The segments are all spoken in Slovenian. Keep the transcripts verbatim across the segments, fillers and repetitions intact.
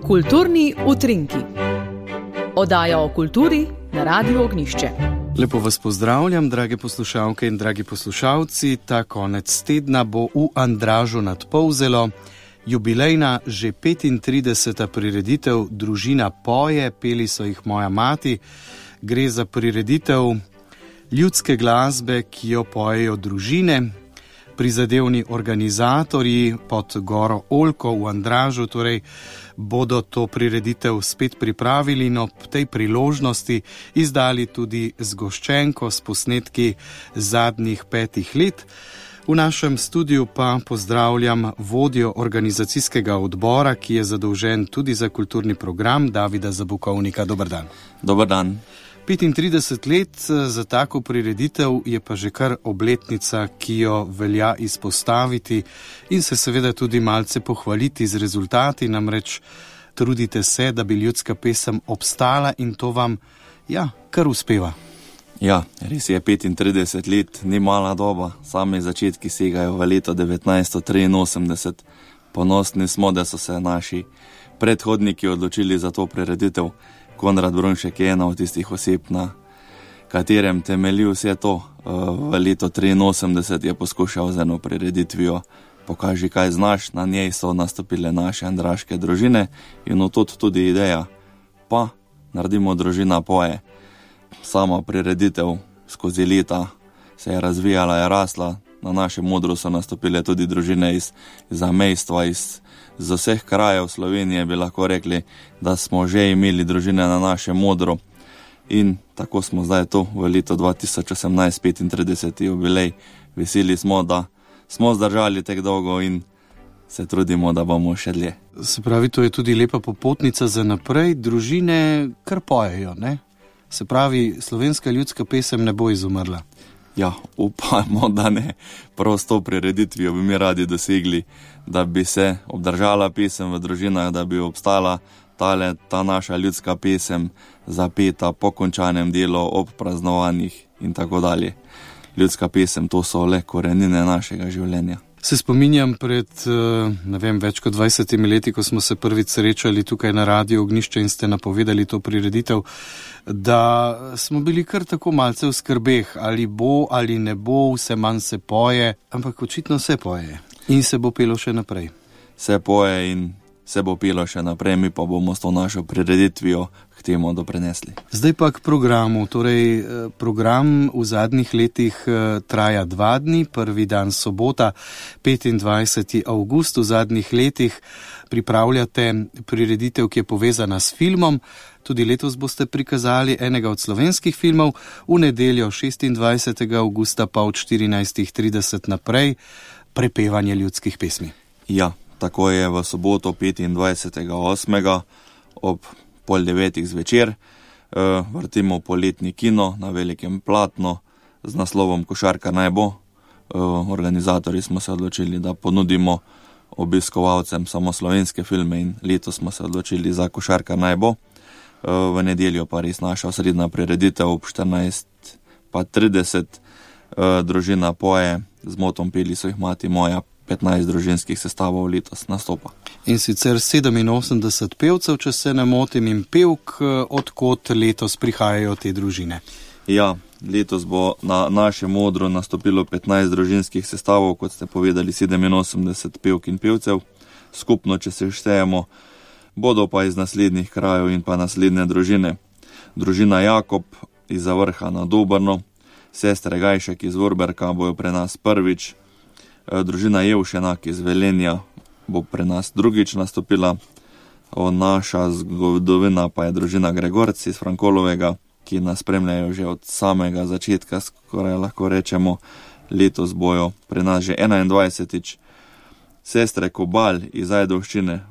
Kulturni utrinki. Oddaja o kulturi na Radiu Ognjišče. Lepo vas pozdravljam, drage poslušalke in dragi poslušalci. Ta konec tedna bo v Andražu nad Polzelo jubilejna že petintrideseta prireditev Družina poje, peli so jih Moja mati. Gre za prireditev ljudske glasbe, ki jo pojejo družine. Prizadevni organizatorji pod Goro Oljko v Andražu torej bodo to prireditev spet pripravili in ob tej priložnosti izdali tudi zgoščenko s posnetki zadnjih petih let. V našem studiu pa pozdravljam vodjo organizacijskega odbora, ki je zadolžen tudi za kulturni program, Davida Zabukovnika. Dober dan. Dober dan. petintrideset let za tako prireditev je pa že kar obletnica, ki jo velja izpostaviti in se seveda tudi malce pohvaliti z rezultati, namreč trudite se, da bi ljudska pesem obstala in to vam, ja, kar uspeva. Ja, res je, petintrideset let, ni mala doba, sami začetki segajo v leto devetnajststo triinosemdeset. Ponosni smo, da so se naši predhodniki odločili za to prireditev. Konrad Brunšek je ena od tistih oseb, na katerem temelji vse to. V leto triinosemdeset je poskušal z eno prireditvijo Pokaži, kaj znaš, na njej so nastopile naše andraške družine in od tudi ideja, pa naredimo Družina poje. Sama prireditev skozi leta se je razvijala, je rasla, na našem odru so nastopile tudi družine iz zamejstva, iz z vseh krajev Slovenije, bi lahko rekli, da smo že imeli družine na našem odru in tako smo zdaj tu v letu dva tisoč osemnajst, petintrideseti jubilej. Veseli smo, da smo zdržali tek dolgo in se trudimo, da bomo še dlje. Se pravi, to je tudi lepa popotnica za naprej, družine kar pojejo, ne? Se pravi, slovenska ljudska pesem ne bo izumrla. Ja, upajmo, da ne. Prav s to prireditvijo bi mi radi dosegli, da bi se obdržala pesem v družinah, da bi obstala tale, ta naša ljudska pesem zapeta po končanem delu, ob praznovanjih in tako dalje. Ljudska pesem, to so le korenine našega življenja. Se spominjam pred, ne vem, več kot dvajsetimi leti, ko smo se prvič srečali tukaj na Radiu Ognjišče in ste napovedali to prireditev, da smo bili kar tako malce v skrbeh, ali bo ali ne bo, vse manj se poje, ampak očitno se poje in se bo pelo še naprej. Se poje in se bo pelo še naprej, mi pa bomo s to našo prireditvijo k temu doprinesli. Zdaj pa k programu. Torej, program v zadnjih letih traja dva dni, prvi dan sobota, petindvajseti avgust. V zadnjih letih pripravljate prireditev, ki je povezana s filmom. Tudi letos boste prikazali enega od slovenskih filmov, v nedeljo šestindvajsetega avgusta pa od štirinajstih trideset naprej prepevanje ljudskih pesmi. Ja, tako je v soboto petindvajsetega osmega ob pol devetih zvečer. Vrtimo poletni kino na velikem platnu z naslovom Košarka naj bo. Organizatorji smo se odločili, da ponudimo obiskovalcem samo slovenske filme in letos smo se odločili za Košarka naj bo. V nedeljo pa res naša osrednja prireditev ob štirinajst pa trideset. Družina poje, z motom Peli so jih mati moja, petnajst družinskih sestavov letos nastopa. In sicer sedeminosemdeset pevcev, če se ne motim, in pevk, odkot letos prihajajo te družine. Ja, letos bo na našem odru nastopilo petnajst družinskih sestavov, kot ste povedali, sedeminosemdeset pevk in pevcev. Skupno, če se štejemo, bodo pa iz naslednjih krajev in pa naslednje družine. Družina Jakob iz Zavrha nad Obrno, sestre Gajšek iz Vorberka bojo pre nas prvič, družina Jevšenak iz Velenja bo pre nas drugič nastopila, naša zgodovina pa je družina Gregorci iz Frankolovega, ki nas spremljajo že od samega začetka, skoraj lahko rečemo, letos bojo pre nas že enaindvajsetič. Sestre Kobal iz Ajdovščine,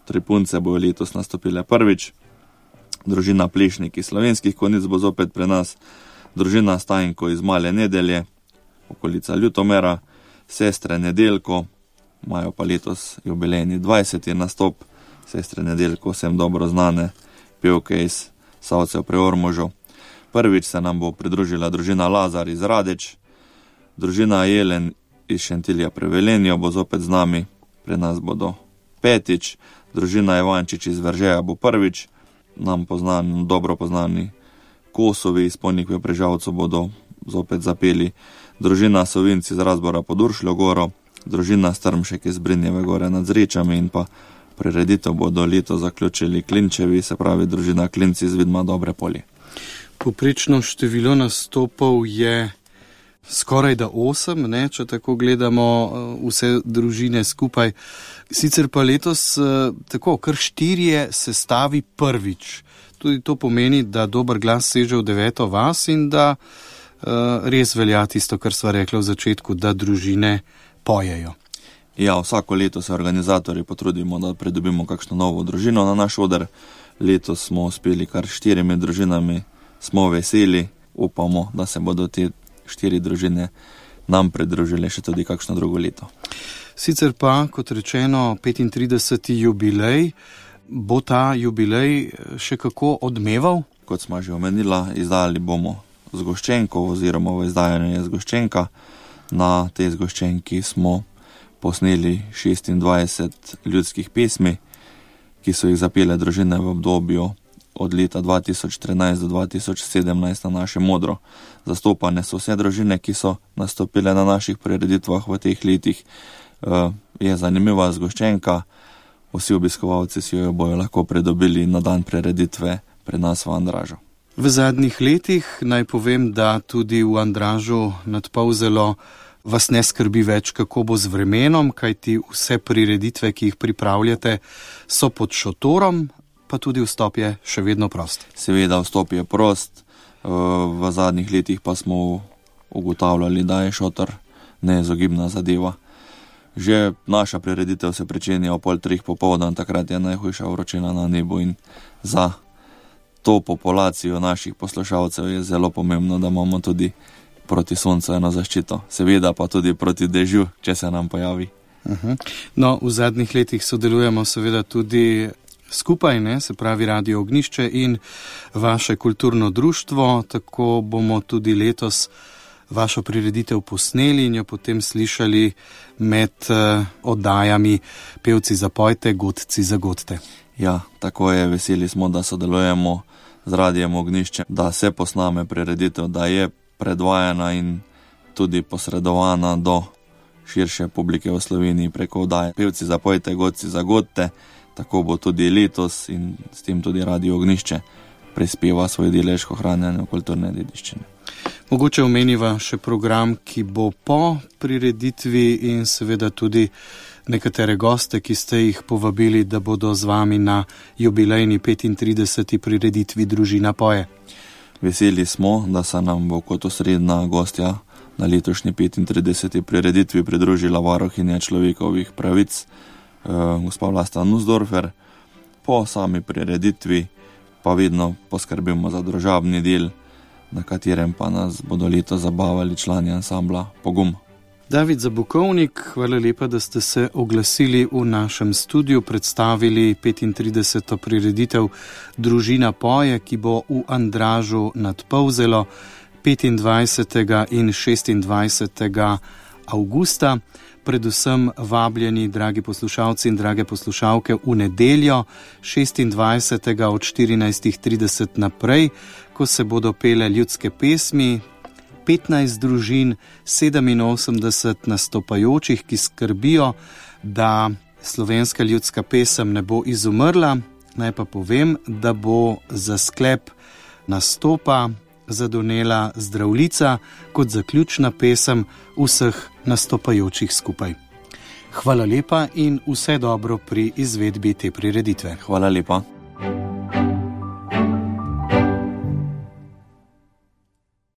tri punce bojo letos nastopile prvič, družina Plešnik iz Slovenskih Konjic bo zopet pre nas, družina Stajnko iz Male Nedelje, okolica Ljutomera, sestre Nedeljko, imajo pa letos jubilejni dvajseti nastop, sestre Nedeljko, vsem dobro znane pevke iz Savcev pri Ormožu. Prvič se nam bo pridružila družina Lazar iz Radeč, družina Jelen iz Šentilja pri Velenju bo zopet z nami, pri nas bodo petič, družina Ivančič iz Veržeja bo prvič, nam poznani, dobro poznani Kosovi iz Ponik v Prežavcu bodo zopet zapeli, družina Sovinci iz Razbora pod Uršljo goro, družina Strmšek iz Brinjeve gore nad Zrečami in pa prireditev bodo leto zaključili Klinčevi, se pravi družina Klinci iz Vidma Dobre Polje. Poprečno število nastopov je skoraj da osem, ne, če tako gledamo vse družine skupaj. Sicer pa letos tako, kar štirje sestavi prvič. Tudi to pomeni, da dober glas seže v deveto vas in da uh, res velja tisto, kar sva rekla v začetku, da družine pojejo. Ja, vsako leto se organizatorji potrudimo, da pridobimo kakšno novo družino na naš oder. Letos smo uspeli kar štirimi družinami, smo veseli, upamo, da se bodo te štiri družine nam pridružile še tudi kakšno drugo leto. Sicer pa, kot rečeno, petintrideseti jubilej, bo ta jubilej še kako odmeval? Kot smo že omenila, izdali bomo zgoščenko oziroma v izdajanju je zgoščenka. Na tej zgoščenki smo posneli šestindvajset ljudskih pesmi, ki so jih zapele družine v obdobju od leta dva tisoč trinajst do dva tisoč sedemnajst na našem modro. Zastopane so vse družine, ki so nastopile na naših prireditvah v teh letih. E, je zanimiva zgoščenka, vsi obiskovalci si jo bojo lahko pridobili na dan prireditve pri nas v Andražu. V zadnjih letih naj povem, da tudi v Andražu nad Polzelo vas ne skrbi več, kako bo z vremenom, kajti vse prireditve, ki jih pripravljate, so pod šotorom, pa tudi vstop je še vedno prost. Seveda vstop je prost, v zadnjih letih pa smo ugotavljali, da je šotor neizogibna zadeva. Že naša prireditev se pričenja o pol treh popoldan, takrat je najhujša vročina na nebu in za to populacijo naših poslušalcev je zelo pomembno, da imamo tudi proti soncu eno zaščito. Seveda pa tudi proti dežju, če se nam pojavi. Uh-huh. No, v zadnjih letih sodelujemo seveda tudi skupaj, ne, se pravi Radio Ognjišče in vaše kulturno društvo, tako bomo tudi letos vašo prireditev posneli in jo potem slišali med uh, oddajami Pevci zapojte, Godci zagodte. Ja, tako je, veseli smo, da sodelujemo z Radijem Ognjišče, da se posname prireditev, da je predvajana in tudi posredovana do širše publike v Sloveniji preko oddaje Pevci zapojte, Godci zagodte. Tako bo tudi letos in s tem tudi Radio Ognjišče prispeva svoj delež k ohranjanju kulturne dediščine. Mogoče omeniva še program, ki bo po prireditvi in seveda tudi nekatere goste, ki ste jih povabili, da bodo z vami na jubilejni petintrideseti prireditvi Družina poje. Veseli smo, da se nam bo kot osrednja gostja na letošnji petintrideseti prireditvi pridružila varuhinja človekovih pravic, eh, gospa Vlasta Nussdorfer. Po sami prireditvi pa vedno poskrbimo za družabni del, na katerem pa nas bodo leto zabavali člani ansambla Pogum. David Zabukovnik, hvala lepa, da ste se oglasili v našem studiu, predstavili petintrideseto prireditev Družina poje, ki bo v Andražu nad Polzelo petindvajsetega in šestindvajsetega avgusta. Predvsem vabljeni, dragi poslušalci in drage poslušalke, v nedeljo šestindvajsetega od štirinajst trideset naprej, ko se bodo pele ljudske pesmi, petnajst družin, sedeminosemdeset nastopajočih, ki skrbijo, da slovenska ljudska pesem ne bo izumrla. Naj pa povem, da bo za sklep nastopa zadonela Zdravljica kot zaključna pesem vseh nastopajočih skupaj. Hvala lepa in vse dobro pri izvedbi te prireditve. Hvala lepa.